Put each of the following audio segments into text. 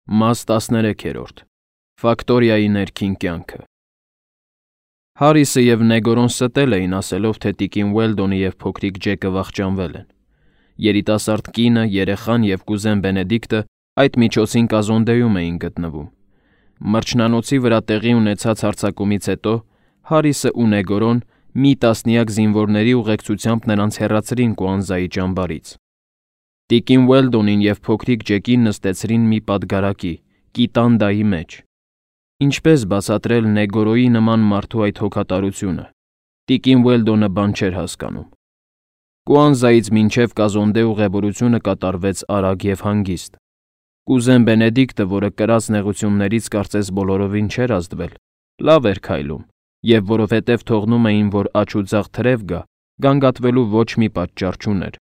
Մաս 13. Ֆակտորիայի ներքին կյանքը։ Հարիսը և Նեգորոն ստել էին, ասելով, թե տիկին Ուելդոնը և փոքրիկ Ջեկը վախճանվել են։ Երիտասարդ կինը, երեխան և կուզեն Բենեդիկտը այդ միջոցին կազոնդեում էին գտնվում։ Մրջնանոցի վրա տեղի ունեցած հարձակումից հետո Հարիսը ու Նեգորոն մի տասնյակ զինվորների ուղեկցությամբ նրանց հեռացրին Կուանզայի ճամբարից։ Տիկին Ուելդոնին և փոքրիկ Ջեկին նստեցրին մի պատգարակի, կիտանդայի մեջ։ Ինչպես բացատրել Նեգորոյի նման մարդու այդ հոգատարությունը, տիկին Ուելդոնը բան չէր հասկանում։ Կուանզայից մինչև Կազոնդե ուղևորությունը կատարվեց արագ և հանգիստ։ Կուզեն Բենեդիկտը, որը կրած նեղություններից կարծես բոլորովին չէր ազդվել, լավ էր քայլում, և որովհետև թողնում էին, որ աջ ու ձախ թրև գա, գանգատվելու ոչ մի պատճառ չուներ։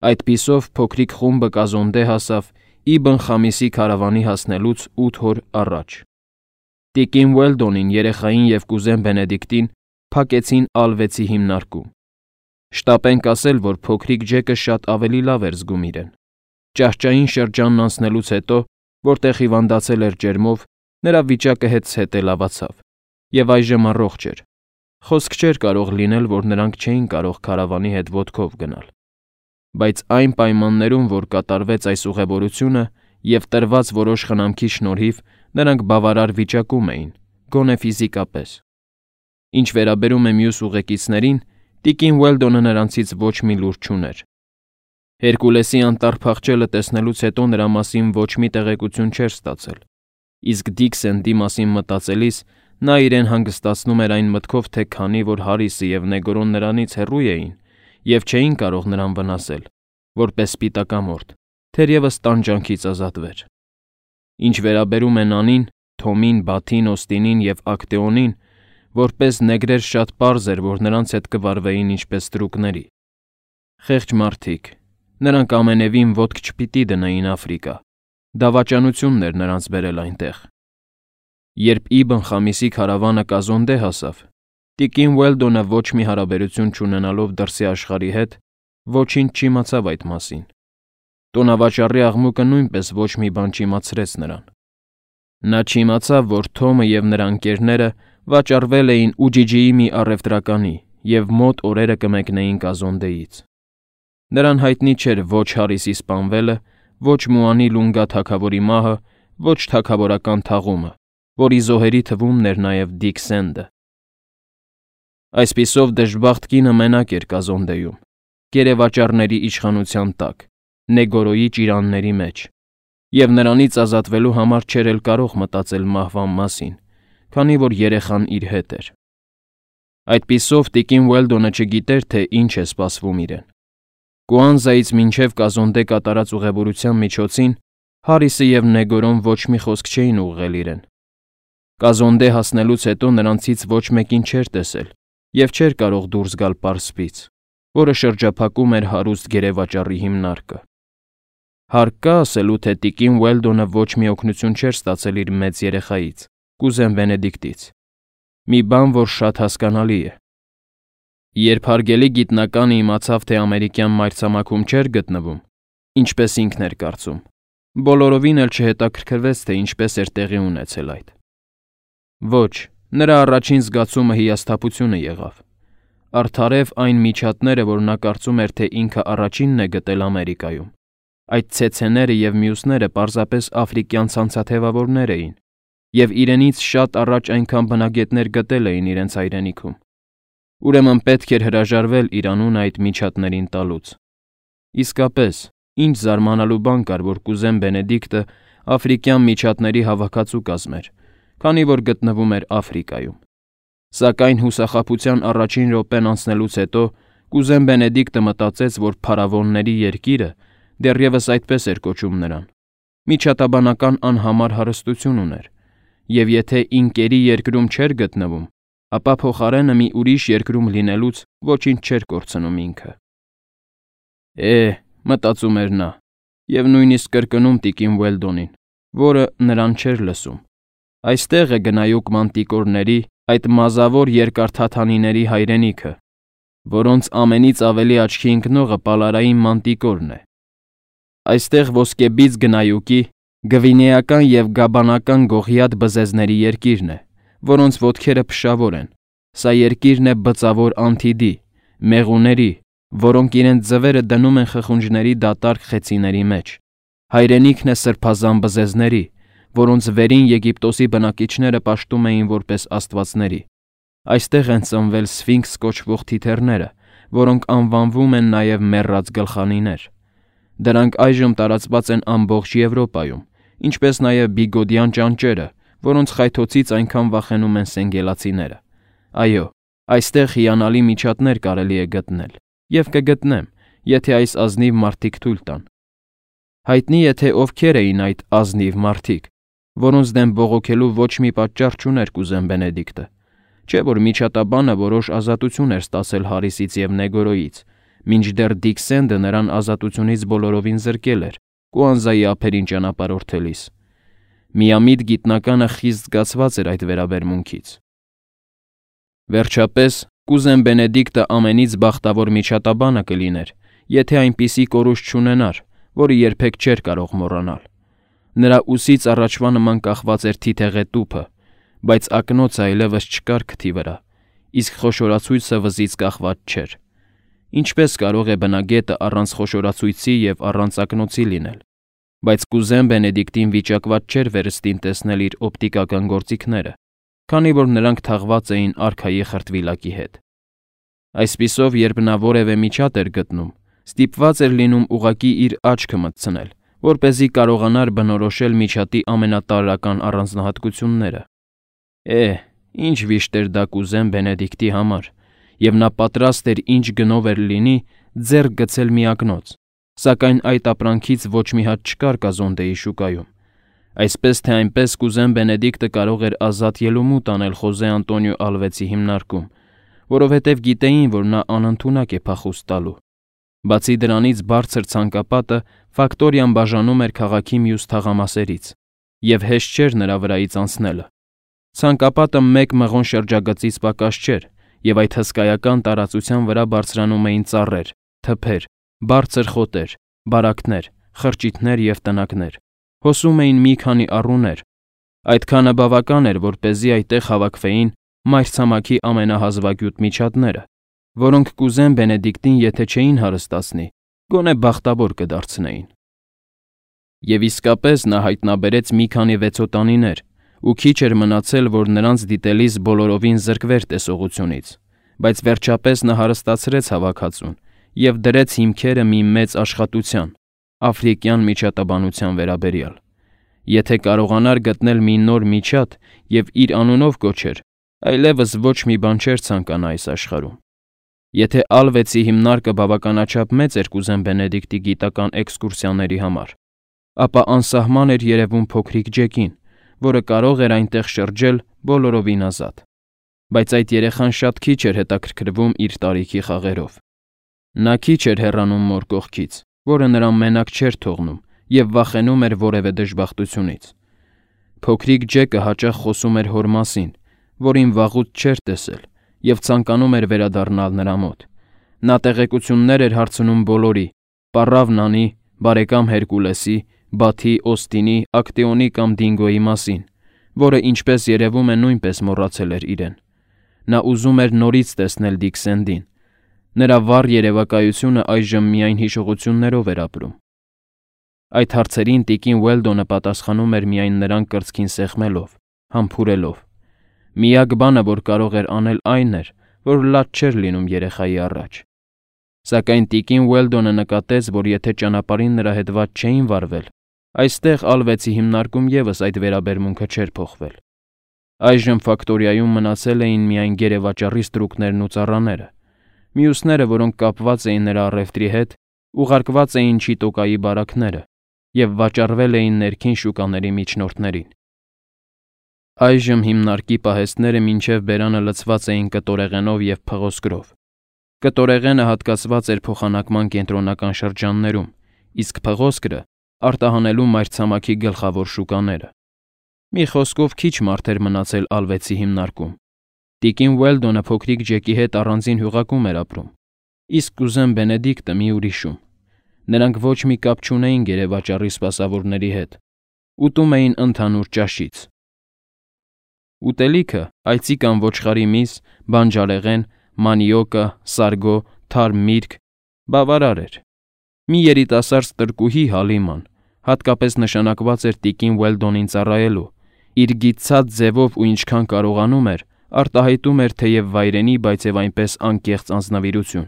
Այդպիսով փոքրիկ խումբը Կազոնդե հասավ Իբն Խամիսի քարավանի հասնելուց 8 օր առաջ։ Տիկին Ուելդոնին, երեխային և կուզեն Բենեդիկտին փակեցին ալվեցի հիմնարկում։ Շտապենք ասել, որ փոքրիկ Ջեկը շատ ավելի լավ էր զգում իրեն։ Ճահճային շրջանն անցնելուց հետո, որտեղ հիվանդացել էր ջերմով, նրա վիճակը հետզհետե լավացավ, և այժմ առողջ էր։ Խոսք չէր կարող լինել, որ նրանք չէին կարող քարավանի հետ ոտքով գնալ։ Բայց այն պայմաններում, որ կատարվեց այս ուղևորությունը և տրված որոշ խնամքի շնորհիվ, նրանք բավարար վիճակում էին, գոնե ֆիզիկապես։ Ինչ վերաբերում է մյուս ուղեկիցներին, տիկին Ուելդոնը նրանցից ոչ մի լուր չուներ։ Հերկուլեսի անտառ փախչելը տեսնելուց հետո նրա մասին ոչ մի տեղեկություն չէր ստացել, իսկ Դիքսենդի մասին մտածելիս նա իրեն հանգստացնում էր այն մտքով, թե քանի որ Հարիսը և Նեգորոն նրանից հեռու էին և չէին կարող նրան վնասել, որպես սպիտակամորթ, թերևս տանջանքից ազատվեր։ Ինչ վերաբերում է Նանին, Թոմին, Բաթին, Օստինին և Ակտեոնին, որպես նեգրեր շատ պարզ էր, որ նրանց հետ կվարվեին ինչպես ստրուկների։ Խեղճ մարդիկ, նրանք ամենևին ոտք չպիտի դնեին Աֆրիկա, դավաճանությունն էր նրանց բերել այնտեղ։ Երբ Իբն Խամիսի քարավանը Կազոնդե հասավ, տիկին Ուելդոնը ոչ մի հարաբերություն չունենալով դրսի աշխարհի հետ, ոչինչ չիմացավ այդ մասին։ Տոնավաճառի աղմուկը նույնպես ոչ մի բան չիմացրեց նրան։ Նա չիմացավ, որ Թոմը և նրա ընկերները վաճառվել էին Ուջիջիի մի առևտրականի և մոտ օրերը կմեկնեին Կազոնդեից։ Նրան հայտնի չէր ոչ Հարիսի սպանվելը, ոչ Մուանի Լունգա թագավորի մահը, ոչ թագավորական թաղումը, որի զոհերի թվում էր նաև Դիքսենդը։ Այսպիսով դժբախտ կինը մենակ էր Կազոնդեում, գերեվաճառների իշխանության տակ, Նեգորոյի ճիրանների մեջ, և նրանից ազատվելու համար չէր էլ կարող մտածել մահվան մասին, քանի որ երեխան իր հետ էր։ Այդպիսով տիկին Ուելդոնը չգիտեր, թե ինչ է սպասվում իրեն։ Կուանզայից մինչև Կազոնդե կատարած ուղևորության միջոցին Հարիսը և Նեգորոն ոչ մի խոսք չէին ուղղել իրեն։ Կազոնդե հասնելուց հետո նրանցից ոչ մեկին չէր տեսել և չէր կարող դուրս գալ պարսպից, որը շրջափակում էր հարուստ գերեվաճառի հիմնարկը։ Հարկ կա ասելու, թե տիկին Ուելդոնը ոչ մի օգնություն չէր ստացել իր մեծ երեխայից, կուզեն Բենեդիկտից։ Մի բան, որ շատ հասկանալի է։ Երբ հարգելի գիտնականը իմացավ, թե ամերիկյան մայրցամաքում չէր գտնվում, ինչպես ինքն էր կարծում, բոլորովին էլ չհետաքրքրվեց, թե ինչպես էր տեղի ունեցել այդ։ Ոչ, նրա առաջին զգացումը հիասթափությունը եղավ։ Արդարև այն միջատները, որ նա կարծում էր, թե ինքը առաջինն է գտել Ամերիկայում, այդ ցեցեները և մյուսները պարզապես աֆրիկյան ցանցաթևավորներ էին, և իրենից շատ առաջ այնքան բնագետներ գտել էին իրենց հայրենիքում։ Ուրեմն պետք էր հրաժարվել իր անունը այդ միջատներին տալուց։ Իսկապես, ինչ զարմանալու բան կար, որ կուզեն Բենեդիկտը աֆրիկյան միջատների հավաքածու կազմեր, քանի որ գտնվում էր Աֆրիկայում։ Սակայն հուսախաբության առաջին րոպեն անցնելուց հետո կուզեն Բենեդիկտը մտածեց, որ փարավոնների երկիրը, դեռևս այդպես էր կոչում նրան, միջատաբանական անհամար հարստություն ուներ, և եթե ինկերի երկրում չէր գտնվում, ապա փոխարենը մի ուրիշ երկրում լինելուց ոչինչ չէր կորցնում ինքը։ Մտածում էր նա, և նույնիսկ կրկնում տիկին Ուելդոնին, որը նրան չէր լսում։ Այստեղ է գնայուկ մանտիկորների, այդ մազավոր երկարթաթանիների հայրենիքը, որոնց ամենից ավելի աչքի ընկնողը պալարային մանտիկորն է։ Այստեղ ոսկեբիծ գնայուկի, Գվինեական և գաբանական գողիաթ բզեզների երկիրն է, որոնց ոտքերը փշավոր են։ Սա երկիրն է բծավոր Անթիդի, մեղուների, որոնք իրենց ձվերը դնում են խխունջների դատարկ խեցիների մեջ։ Հայրենիքն է սրբազան բզեզների, որոնց վերին Եգիպտոսի բնակիչները պաշտում էին որպես աստվածների։ Այստեղ են ծնվել սֆինքս կոչվող թիթեռները, որոնք անվանվում են նաև մեռած գլխանիներ։ Դրանք այժմ տարածված են ամբողջ Եվրոպայում, ինչպես նաև բիգոդյան ճանճերը, որոնց խայթոցից այնքան վախենում են սենգելացիները։ Այո, այստեղ հիանալի միջատներ կարելի է գտնել, և կգտնեմ, եթե այս ազնիվ մարդիկ թույլ տան։ Հայտնի է, թե ովքեր էին այդ ազնիվ մարդիկ, որոնց դեմ բողոքելու ոչ մի պատճառ չուներ կուզեն Բենեդիկտը, չէ՞ որ միջատաբանը որոշ ազատություն էր ստացել Հարիսից և Նեգորոյից, մինչդեռ Դիքսենդը նրան ազատությունից բոլորովին զրկել էր Կուանզայի ափերին ճանապարհորդելիս։ Միամիտ գիտնականը խիստ զգացված էր այդ վերաբերմունքից։ Վերջապես, կուզեն Բենեդիկտը ամենից բախտավոր միջատաբանը կլիներ, եթե այնպիսի կորուստ չունենար, որը երբեք չէր կարող մոռանալ։ Նրա ուսից առաջվա նման կախված էր թիթեղե տուփը, բայց ակնոցը այլևս չկար քթի վրա, իսկ խոշորացույցը վզից կախված չէր։ Ինչպես կարող է բնագետը առանց խոշորացույցի և առանց ակնոցի լինել, բայց կուզեն Բենեդիկտին վիճակված չէր վերստին տեսնել իր օպտիկական գործիքները, քանի որ նրանք թաղված էին արքայի խրտվիլակի հետ։ Այսպիսով, երբ նա որևէ միջատ էր գտնում, ստիպված էր լինում ուղղակի իր աչքը մտցնել, որպեսզի կարողանար բնորոշել միջատի ամենատարրական առանձնահատկությունները։ Ինչ վիշտ էր դա կուզեն Բենեդիկտի համար, և նա պատրաստ էր ինչ գնով էր լինի ձեռք գցել մի ակնոց, սակայն այդ ապրանքից ոչ մի հատ չկար Կազոնդեի շուկայում։ Այսպես թե այնպես կուզեն Բենեդիկտը կարող էր ազատ ելումուտ անել Խոզե Անտոնիո Ալվեցի հիմնարկում, որովհետև գիտեին, որ նա անընդունակ է փախուստ տալու։ Բացի դրանից բարձր ցանկապատը Ֆակտորիան բաժանում էր քաղաքի մյուս թաղամասերից, և հեշտ չէր նրա վրայից անցնելը։ Ցանկապատը մեկ մղոն շրջագծից պակաս չէր, և այդ հսկայական տարածության վրա բարձրանում էին ծառեր, թփեր, բարձր խոտեր, բարակներ, խրճիթներ և տնակներ։ Հոսում էին մի քանի առուներ։ Այդքանը բավական էր, որպեսզի այդտեղ հավաքվեին մայրցամաքի ամենահազվագյուտ միջատները, որոնք կուզեն Բենեդիկտին եթե չէին հարստացնի, գոնե բախտավոր կդարձնեին։ Եվ իսկապես նա հայտնաբերեց մի քանի վեցոտանիներ, ու քիչ էր մնացել, որ նրանց դիտելիս բոլորովին զրկվեր տեսողությունից, բայց վերջապես նա հարստացրեց հավաքածուն և դրեց հիմքերը մի մեծ աշխատության, աֆրիկյան միջատաբանության վերաբերյալ։ Եթե կարողանար գտնել մի նոր միջատ և իր անունով կոչեր, այլևս ոչ մի բան չէր ցանկանա այս աշխարհում։ Եթե Ալվեցի հիմնարկը բավականաչափ մեծ էր կուզեն Բենեդիկտի գիտական էքսկուրսիաների համար, ապա անսահման էր երևում փոքրիկ Ջեկին, որը կարող էր այնտեղ շրջել բոլորովին ազատ։ Բայց այդ երեխան շատ քիչ էր հետաքրքրվում իր տարիքի խաղերով։ Նա քիչ էր հեռանում մոր կողքից, որը նրան մենակ չէր թողնում և վախենում էր որևէ դժբախտությունից։ Փոքրիկ Ջեկը հաճախ խոսում էր հոր մասին, որին վաղուց չէր տեսել, և ցանկանում էր վերադառնալ նրա մոտ։ Նա տեղեկություններ էր հարցնում բոլորի՝ պառավ Նանի, բարեկամ Հերկուլեսի, Բաթի, Օստինի, Ակտեոնի կամ Դինգոյի մասին, որը, ինչպես երևում է, նույնպես մոռացել էր իրեն։ Նա ուզում էր նորից տեսնել Դիքսենդին։ Նրա վառ երևակայությունը այժմ միայն հիշողություններով էր ապրում։ Այդ հարցերին տիկին Ուելդոնը պատասխանում էր միայն նրան կրծքին սեղմելով, համբուրելով։ Միակ բանը, որ կարող էր անել, այն էր, որ լաց չէր լինում երեխայի առաջ։ Սակայն տիկին Ուելդոնը նկատեց, որ եթե ճանապարհին նրա հետ վատ չէին վարվել, այստեղ Ալվեցի հիմնարկում ևս այդ վերաբերմունքը չէր փոխվել։ Այժմ Ֆակտորիայում մնացել էին միայն գերեվաճառի ստրուկներն ու ծառաները։ Մյուսները, որոնք կապված էին նրա առևտրի հետ, ուղարկված էին Չիտոկայի բարակները և վաճառվել էին ներքին շուկաների միջնորդներին։ Այժմ հիմնարկի պահեստները մինչև բերանը լցված էին կտորեղենով և փղոսկրով։ Կտորեղենը հատկացված էր փոխանակման կենտրոնական շրջաններում, իսկ փղոսկրը արտահանելու մայրցամաքի գլխավոր շուկաները։ Մի խոսքով քիչ մարդ էր մնացել Ալվեցի հիմնարկում։ Տիկին Ուելդոնը փոքրիկ Ջեկի հետ առանձին հյուղակում էր ապրում, իսկ կուզեն Բենեդիկտը մի ուրիշում։ Նրանք ոչ մի կապ չունեին գերեվաճառի սպասավորների հետ։ ուտում էին ընդհանուր ճաշից։ Ուտելիքը այծի կամ ոչխարի միս, բանջարեղեն, մանիոկա, սարգո, թարմ միրգ բավարար էր։ Մի երիտասարդ ստրկուհի Հալիման հատկապես նշանակված էր տիկին Ուելդոնին ծառայելու, իր գիտցած ձևով ու ինչքան կարողանում էր, արտահայտում էր թեև վայրենի, բայց եւ այնպես անկեղծ անձնավիրություն։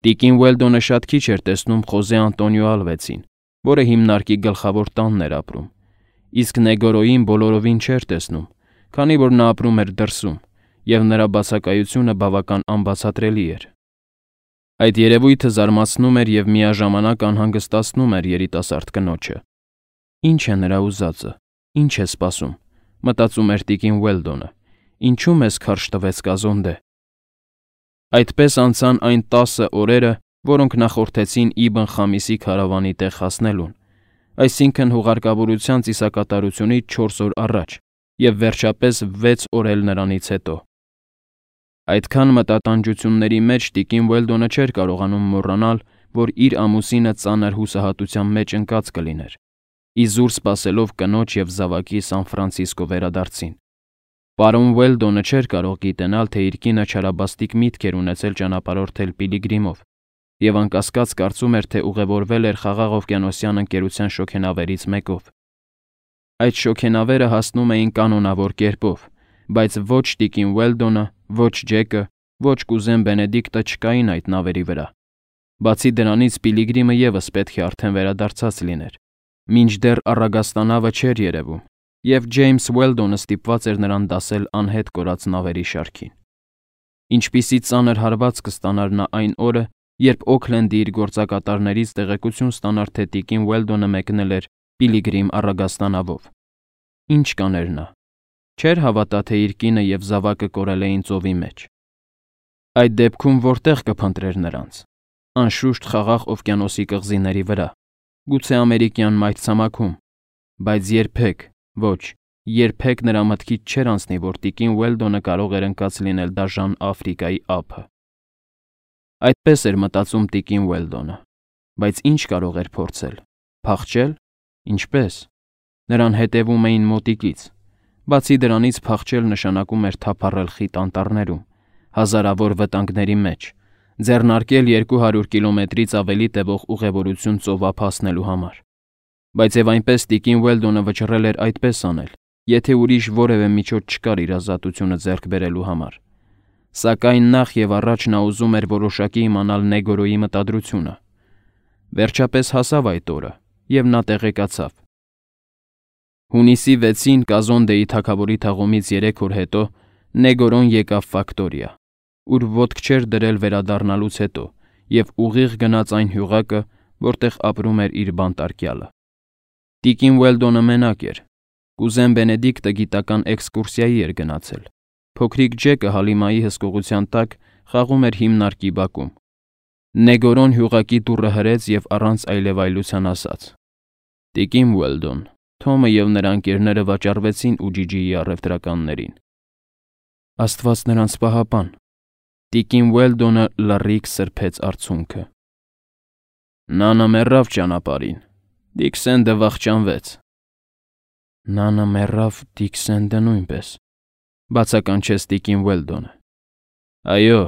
Տիկին Ուելդոնը շատ քիչ էր տեսնում Խոզե Անտոնիո Ալվեցին, որը հիմնարկի գլխավոր տանն էր ապրում, իսկ Նեգորոյին բոլորովին չէր տեսնում, քանի որ նա ապրում էր դրսում, եւ նրա բացակայությունը բավական անբացատրելի էր։ Այդ երևույթը զարմացնում էր եւ միաժամանակ անհանգստացնում էր երիտասարդ կնոջը։ Ինչ է նրա ուզածը, ինչ է սպասում, մտածում էր տիկին Ուելդոնը, ինչու մեզ քարշ տվեց Կազոնդե։ Այդպես անցան այն 10 օրերը, որոնք նախորդեցին Իբն Խամիսի քարավանի տեղ հասնելուն, այսինքն հուղարկավորության ծիսակատարությունից 4 օր առաջ եւ վերջապես 6 օր էլ նրանից հետո։ Այդքան մտատանջությունների մեջ տիկին Ուելդոնը չէր կարողանում մոռանալ, որ իր ամուսինը ծանր հուսահատության մեջ ընկած կլիներ, իզուր սպասելով կնոջ եւ զավակի Սան Ֆրանցիսկո վերադարձին։ Պարոն Ուելդոնը չէր կարող գիտենալ, թե իր կինը չարաբաստիկ միտք էր ունեցել ճանապարհորդել Պիլիգրիմով, եւ անկասկած կարծում էր, թե ուղևորվել էր Խաղաղ օվկիանոսյան ընկերության շոգենավերից մեկով։ Այդ շոգենավերը հասնում էին կանոնավոր կերպով, բայց ոչ տիկին Ուելդոնը, ոչ Ջեկը, ոչ կուզեն Բենեդիկտը չկային այդ նավերի վրա։ Բացի դրանից Պիլիգրիմը եւս պետք է արդեն վերադարձած լիներ, մինչդեռ առագաստանավը չէր երևում, եւ Ջեյմս Ուելդոնը ստիպված էր նրան դասել անհետ կորած նավերի շարքին։ Ինչպիսի ծանր հարված կստանար նա այն օրը, երբ Օքլենդի իր գործակատարներից տեղեկություն ստանար, թե տիկին Ուելդոնը մեկնել էր Պիլիգրիմ առագաստանավով։ Ինչ կաներ նա։ Չէր հավատա, թե իր կինը եւ զավակը կորել էին ծովի մեջ։ Այդ դեպքում որտեղ կփնտրեր նրանց։ Անշուշտ Խաղաղ օվկիանոսի կղզիների վրա, գուցե ամերիկյան մայրցամաքում, բայց երբեք, ոչ, երբեք նրա մտքից չէր անցնի, որ տիկին Ուելդոնը կարող էր ընկած լինել դաժան Աֆրիկայի ափը։ Այդպես էր մտածում տիկին Ուելդոնը, բայց ինչ կարող էր փորձել։ Փախչել։ Ինչպես։ Նրան հետևում էին մոտիկից։ Բացի դրանից փախչել նշանակում էր թափառել խիտ անտառներում, հազարավոր վտանգների մեջ, ձեռնարկել 200 կիլոմետրից ավելի տևող ուղևորություն ծովափ հասնելու համար։ Բայց եւ այնպես տիկին Ուելդոնը վճռել էր այդպես անել, եթե ուրիշ որևէ միջոց չկար իր ազատությունը ձեռք բերելու համար։ Սակայն նախ եւ առաջ նա ուզում էր որոշակի իմանալ Նեգորոյի մտադրությունը։ Վերջապես հասավ այդ օրը, եւ նա տեղեկացավ։ Հունիսի 6-ին Կազոնդեի թագավորի թաղումից 3 օր հետո Նեգորոն եկավ Ֆակտորիա, ուր ոտք չէր դրել վերադառնալուց հետո, եւ ուղիղ գնաց այն հյուղակը, որտեղ ապրում էր իր բանտարկյալը։ Տիկին Ուելդոնը մենակ էր։ Կուզեն Բենեդիկտը գիտական էքսկուրսիայի էր գնացել։ Փոքրիկ Ջեկը Հալիմայի հսկողության տակ խաղում էր հիմնարկի բակում։ Նեգորոն հյուղակի դուռը հրեց եւ առանց այլևայլության ասաց. Տիկին Ուելդոն, Թոմը եւ նրա ընկերները վաճառվեցին Ուջիջիի առևտրականներին։ Աստված նրանց պահապան։ Տիկին Ուելդոնը լռիկ սրբեց արցունքը։ Նանը մեռավ ճանապարհին։ Դիքսենդը վախճանվեց։ Նանը մեռավ, Դիքսենդը նույնպես, բացականչեց տիկին Ուելդոնը։ Այո,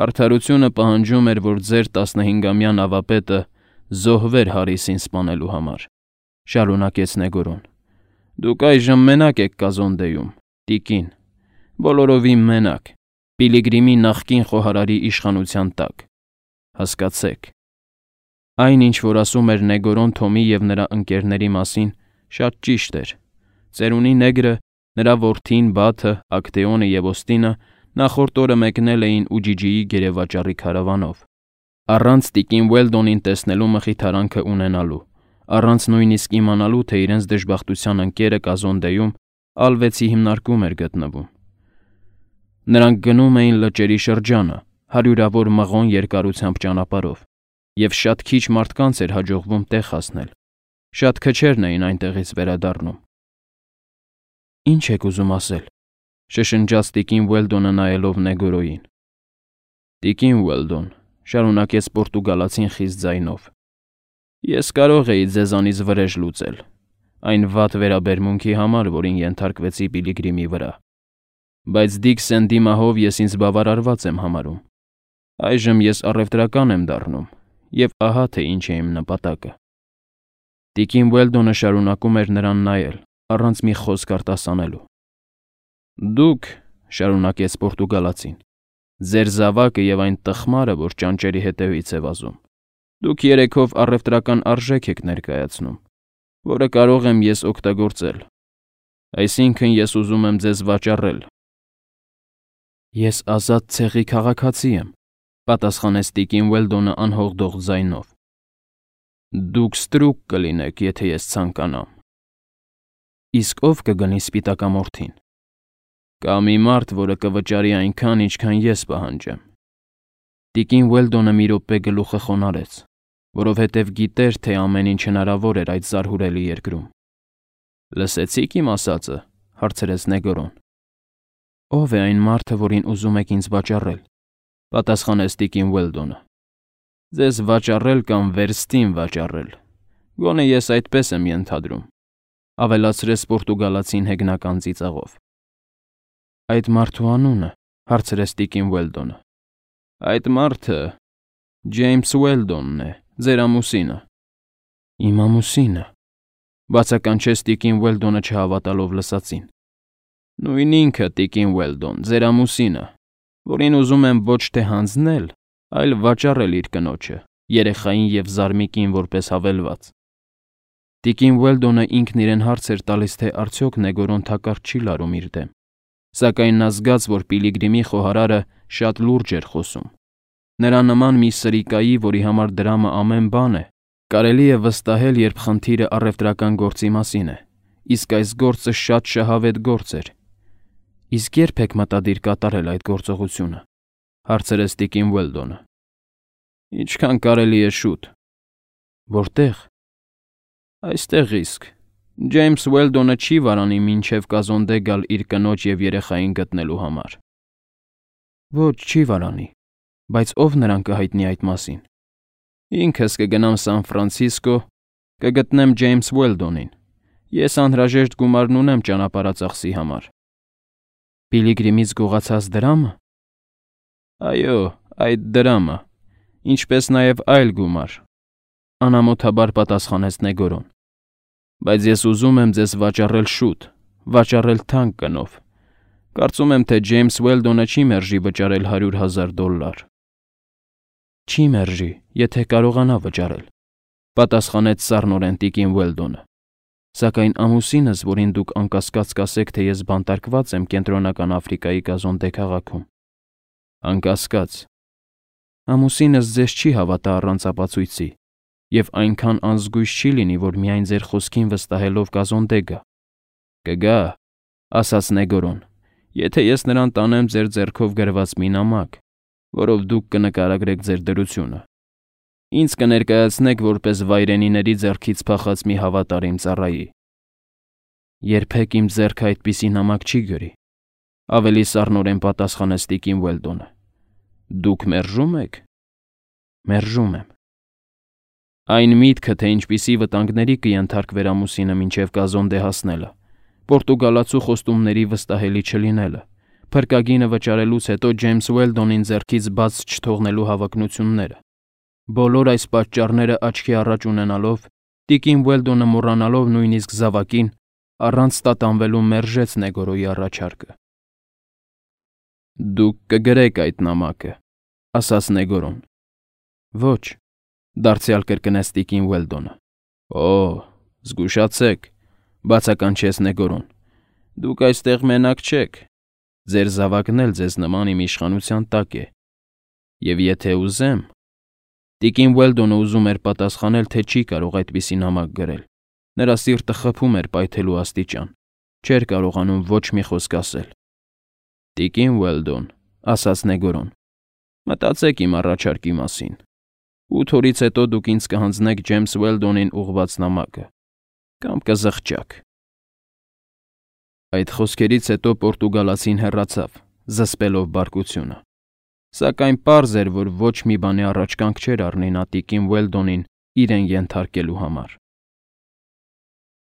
արդարությունը պահանջում էր, որ ձեր 15-ամյա նավապետը զոհվեր Հարիսին սպանելու համար, շարունակեց Նեգորոն։ Դուք այժմ մենակ եք Կազոնդեյում, տիկին, բոլորովին մենակ, Պիլիգրիմի նախկին խոհարարի իշխանության տակ։ Հասկացեք։ Այն, ինչ որ ասում էր Նեգորոն Թոմի եւ նրա ընկերների մասին, շատ ճիշտ էր։ Ծերունի նեգրը, նրա որդին Բաթը, Ակտեոնը եւ Ոստինը նախորդ օրը մեկնել էին Ուջիջիի գերեվաճառի քարավանով։ Առանց տիկին Ուելդոնին տեսնելու մխիթարանքը ունենալու, առանց նույնիսկ իմանալու, թե իրենց դժբախտության ընկերը Կազոնդեյում Ալվեցի հիմնարկում էր գտնվում։ Նրանք գնում էին լճերի շրջանը, հարյուրավոր մղոն երկարությամբ ճանապարհով, եւ շատ քիչ մարդկանց էր հաջողվում տեղ հասնել։ Շատ քչերն էին այնտեղից վերադառնում։ Ինչ եք ուզում ասել, շշնջաց տիկին Ուելդոնը նայելով Նեգորոյին։ Տիկին Ուելդոն, շարունակեց պորտուգալացին խիստ ձայնով։ Ես կարող էի ձեզանից վրեժ լուծել, այն վատ վերաբերմունքի համար, որին ենթարկվեցի Պիլիգրիմի վրա։ Բայց Դիկ Սենդիմահով ես ինձ բավարարված եմ համարում։ Այժմ ես առևտրական եմ դառնում, եւ ահա թե ինչ է իմ նպատակը։ Տիկին Ուելդոնը շարունակում էր նրան նայել, առանց մի խոսք արտասանելու։ Դուք, շարունակեց պորտուգալացին, ձեր զավակը եւ այն տխմարը, որ ճանճերի հետևից է վազում, դուք երեքով առևտրական արժեք եք ներկայացնում, որը կարող եմ ես օգտագործել։ Այսինքն ես ուզում եմ ձեզ վաճառել։ Ես ազատ ցեղի քաղաքացի եմ, պատասխանեց տիկին Ուելդոնը անհողդող ձայնով։ Դուք ստրուկ կլինեք, եթե ես ցանկանամ։ Իսկ ով կգնի սպիտակամորթին։ Կա մի մարդ, որը կվճարի այնքան, ինչքան ես պահանջեմ։ Տիկին Ուելդոնը մի րոպե գլուխը խոնարհեց, որովհետև գիտեր, թե ամեն ինչ հնարավոր էր այդ զարհուրելի երկրում։ Լսեցիք իմ ասածը, հարցրեց Նեգորոն։ Ով է այն մարդը, որին ուզում եք ինձ վաճառել, պատասխանեց տիկին Ուելդոնը։ Ձեզ վաճառել կամ վերստին վաճառել։ Գոնե ես այդպես եմ ենթադրում, ավելացրեց պորտուգալացին հեգնական ծիծաղով։ Այդ մարդու անունը, հարցրեց տիկին Ուելդոնը։ Այդ մարդը Ջեյմս Ուելդոնն է, ձեր ամուսինը։ Իմ ամուսինը, բացականչեց տիկին Ուելդոնը չհավատալով լսածին։ Նույն ինքը տիկին Ուելդոն, ձեր ամուսինը, որին ուզում եմ ոչ թե հանձնել, այլ վաճառել իր կնոջը, երեխային եւ զարմիկին որպես հավելված։ Տիկին Ուելդոնը ինքն իրեն հարց էր տալիս, թե արդյոք Նեգորոն թակարդ չի լարում իր դեմ, սակայն նա զգաց, որ Պիլիգրիմի խոհարարը շատ լուրջ էր խոսում։ Նրա նման մի սրիկայի, որի համար դրամը ամեն բան է, կարելի է վստահել, երբ խնդիրը առևտրական գործի մասին է, իսկ այս գործը շատ շահավետ գործ էր։ Իսկ երբ եք մտադիր կատարել այդ գործողությունը, հարցրեց տիկին Ուելդոնը։ Ինչքան կարելի է շուտ։ Որտեղ։ Այստեղ իսկ։ Ջեյմս Ուելդոնը չի վարանի մինչև Կազոնդե գալ իր կնոջ եւ երեխային գտնելու համար։ Ոչ, չի վարանի, բայց ով նրան կհայտնի այդ մասին։ Ինքս կգնամ Սան Ֆրանցիսկո, կգտնեմ Ջեյմս Ուելդոնին։ Ես անհրաժեշտ գումարն ունեմ ճանապարհածախսի համար։ Պիլիգրիմից գողացած դրամը։ Այո, այդ դրամը, ինչպես նաև այլ գումար, անամոթաբար պատասխանեց Նեգորոն։ Բայց ես ուզում եմ ձեզ վաճառել շուտ, վաճառել թանկ գնով։ Կարծում եմ, թե Ջեյմս Ուելդոնը չի մերժի վճարել $100,000։ Չի մերժի, եթե կարողանա վճարել, պատասխանեց սառնորեն տիկին Ուելդոնը։ Սակայն ամուսինս, որին դուք անկասկած կասեք, թե ես բանտարկված եմ Կենտրոնական Աֆրիկայի Կազոնդե քաղաքում։ Անկասկած։ Ամուսինս ձեզ չի հավատա առանց ապացույցի, եւ այնքան անզգույշ չի լինի, որ միայն ձեր խոսքին վստահելով Կազոնդե գա։ Կգա, ասաց Նեգորոն, եթե ես նրան տանեմ ձեր ձեռքով գրված մի նամակ, որով դուք կնկարագրեք ձեր դրությունը։ Ինձ կներկայացնեք որպես վայրենիների ձեռքից փախած մի հավատարիմ ծառայի։ Երբեք իմ ձեռքը այդպիսի նամակ չի գրի, ավելի սառնորեն պատասխանեց տիկին Ուելդոնը։ Դուք մերժում եք։ Մերժում եմ։ Այն միտքը, թե ինչպիսի վտանգների կենթարկվեր ամուսինը մինչև Կազոնդե հասնելը, պորտուգալացու խոստումների վստահելի չլինելը, փրկագինը վճարելուց հետո Ջեյմս Ուելդոնին ձեռքից բաց չթողնելու հավակնությունները։ Բոլոր այս պատճառները աչքի առաջ ունենալով, տիկին Ուելդոնը մոռանալով նույնիսկ զավակին, առանց տատանվելու մերժեց Նեգորոյի առաջարկը։ Դուք կգրեք այդ նամակը, ասաց Նեգորոն։ Ոչ, դարձյալ կրկնեց տիկին Ուելդոնը։ Օ, զգուշացեք, բացականչեց Նեգորոն։ Դուք այստեղ մենակ չեք։ Ձեր զավակն էլ ձեզ նման իմ իշխանության տակ է։ Եվ եթե ուզեմ, տիկին Ուելդոնը ուզում էր պատասխանել, թե չի կարող այդպիսի նամակ գրել։ Նրա սիրտը խփում էր պայթելու աստիճան։ Չէր կարողանում ոչ մի խոսք ասել։ Տիկին Ուելդոն, ասաց Նեգորոն, մտածեք իմ առաջարկի մասին։ 8 օրից հետո դուք ինձ կհանձնեք Ջեյմս Ուելդոնին ուղղված նամակը, կամ կզղջաք։ Այդ խոսքերից հետո պորտուգալացին հեռացավ, զսպելով բարկությունը։ Սակայն պարզ էր, որ ոչ մի բանի առաջ կանգ չէր առնի նա տիկին Ուելդոնին իրեն ենթարկելու համար։